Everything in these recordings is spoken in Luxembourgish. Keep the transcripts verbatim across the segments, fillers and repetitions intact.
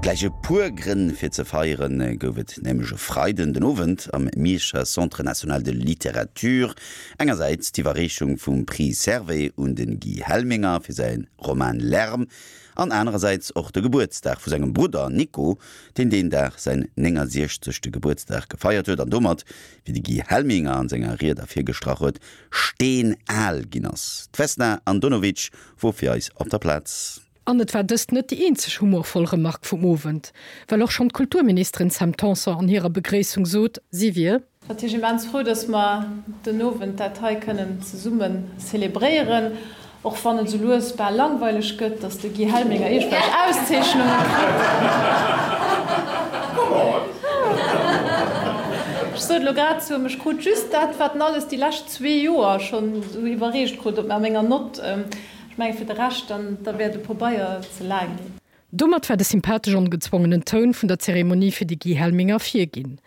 Gläich e puer Grënn fir ze feieren gouf et nämlech e Freiden den Owend am Mierscher Centre national de littérature. Engersäits d'Iwwerreechung vum Prix Servais un de Guy Helminger fir säi Roman Lärm an anerersäits och de Gebuertsdag vu sengem Brudder Nico, deen deen Dag säin néngasiechzegste Gebuertsdag gefeiert huet an domat, wéi de Guy Helminger an senger Ried ervirgestrach huet, steenal ginn ass. D'Vesna Andonovic wor fir eis op der Plaz. An et war dëst net déi eenzeg humorvoll Remark vum Owend, well och schonn d'Kulturministerin Sam Tanson an hirer Begréissung sot, si wier. Natierlech immens frou, dass mer den Owend dat hei kënnen zesummen zelebréieren, och wann et esou lues bal langweileg gëtt, dass de Guy Helminger iergendwelch Auszeechnunge kritt. Ech sot elo grad zu him, ech krut just dat, wat en alles déi lescht zwee Joer schonn esou iwwerreecht krut, op menger Nott. Ech menge fir de Rescht, dann da wär de Pobeier ze laang ginn. Domat war de sympathesch ongezwongenen Toun vun der Zeremonie fir de Guy Helminger virginn.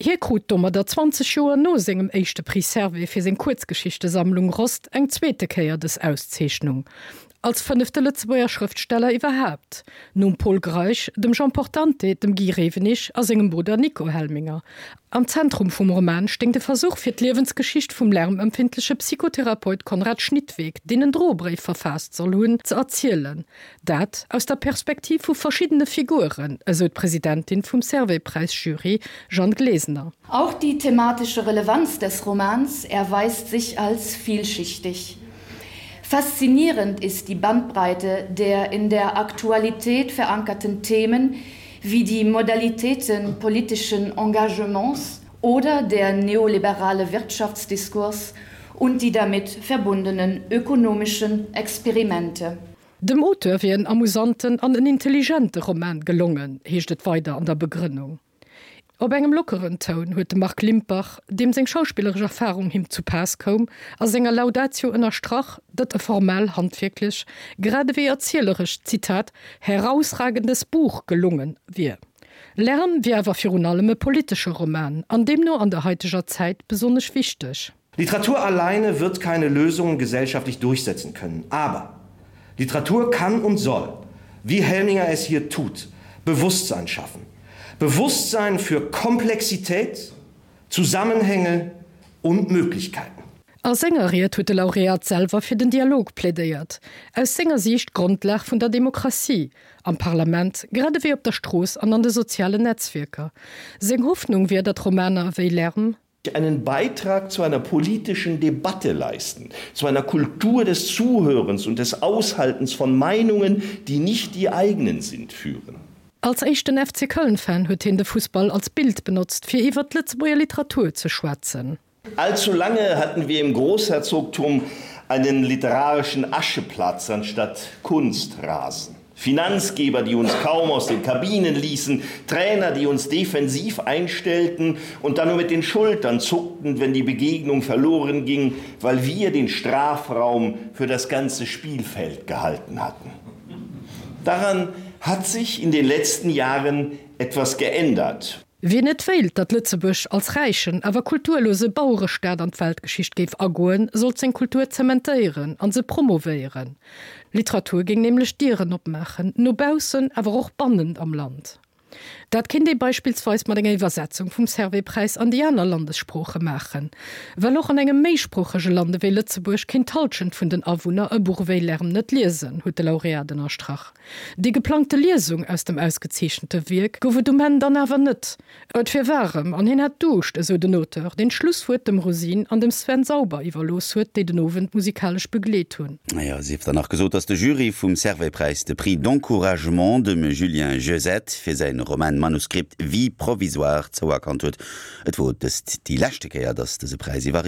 Hie krut domadder zwanzeg Joer no sengem éischte Prix Servais fir seng Kuerzgeschichtesammlung Rost eng zweete Kéier dës Auszeechnung. Als fënnefte Lëtzebuerger Schrëftsteller iwwerhaapt, nom Pol Greisch, dem Jean Portante, dem Guy Rewenig a sengem Brudder Nico Helminger. Am Zentrum vum Roman stéing de Versuch fir d'Liewensgeschicht vum lärmempfindleche Psychotherapeut Konrad Schnittweg, deen en Drobréif verfaasst soll hunn, ze erzielen. Dat aus der Perspektiv vu verschiddene Figuren, esou d'Presidentin vum Servais-Präis-Jury Jeanne Glesener. Auch die thematische Relevanz des Romans erweist sich als vielschichtig. Faszinierend ist die Bandbreite der in der Aktualität verankerten Themen wie die Modalitäten politischen Engagements oder der neoliberale Wirtschaftsdiskurs und die damit verbundenen ökonomischen Experimente. Dem Auteur wier en amusanten an en intelligente Roman gelongen, heescht et weider an der Begrënnung. Op engem lockeren Toun huet de Marc Limpach, deem seng schauspilleresch Erfarung him zu Paass koum, a senger Laudatio ënnerstrach, datt e formell, handwierklech, grad ewéi erzieleresch, Zitat, herausragendes Buch gelonge wier. Lärm wier awer virun allem e politesche Roman an deemno an der haiteger Zäit besonnesch wichteg. Literatur alleine wird keine Lösungen gesellschaftlich durchsetzen können. Aber Literatur kann und soll, wie Helminger es hier tut, Bewusstsein schaffen. Bewusstsein für Komplexität, Zusammenhänge und Möglichkeiten. A senger Ried huet de Laureat selwer fir den Dialog plädéiert, aus senger Siicht d'Grondlag vun der Demokratie, am Parlament grad ewéi op der Strooss an an de sozialen Netzwierker. Seng Hoffnung wier, datt Romaner ewéi Lärm. Einen Beitrag zu einer politischen Debatte leisten, zu einer Kultur des Zuhörens und des Aushaltens von Meinungen, die nicht die eigenen sind, führen. Als éischten F C Köln-Fan huet hien de Fussball als Bild benotzt, fir iwwer d'Lëtzebuerger Literatur ze schwätzen. Allzu lange hatten wir im Großherzogtum einen literarischen Ascheplatz anstatt Kunstrasen. Finanzgeber, die uns kaum aus den Kabinen ließen, Trainer, die uns defensiv einstellten und dann nur mit den Schultern zuckten, wenn die Begegnung verloren ging, weil wir den Strafraum für das ganze Spielfeld gehalten hatten. Daran hat sich in den letzten Jahren etwas geändert. Wien net wéilt, datt Lëtzebuerg als räichen, awer kulturlose Bauerestaat an d'Weltgeschicht géif agoen, sollt seng Kultur zementéieren an se promovéieren. Literatur géing nämlech Dieren opmaachen, no baussen, awer och bannent am Land. Dat kéint ee beispillsweis mat enger Iwwersetzung vum Servais-Präis an déi aner Landessprooche maachen. Well och an engem méisproochege Land ewéi Lëtzebuerg kéint d'Hallschent vun den Awunner e Buch ewéi Lärm net liesen, huet de Laureat ënnerstrach. Déi geplangte Liesung aus dem ausgezeechente Wierk gouf et um Enn dann awer net. Et wier waarem an hien hätt Duuscht, esou den Auteur, deen d'Schlusswuert dem Rosine an dem Sven Sauber iwwerlooss huet, déi den Owend musikalesch begleet hunn. Naja, sief dann nach gesot, dass de Jury vum Servais-Präis de Prix d'encouragement dem Julien Jeusette fir säin Roman Manuskript Vie provisoire zouerkannt huet. Et wor dëst déi leschte Kéier, dass dëse Präis iwwerreecht.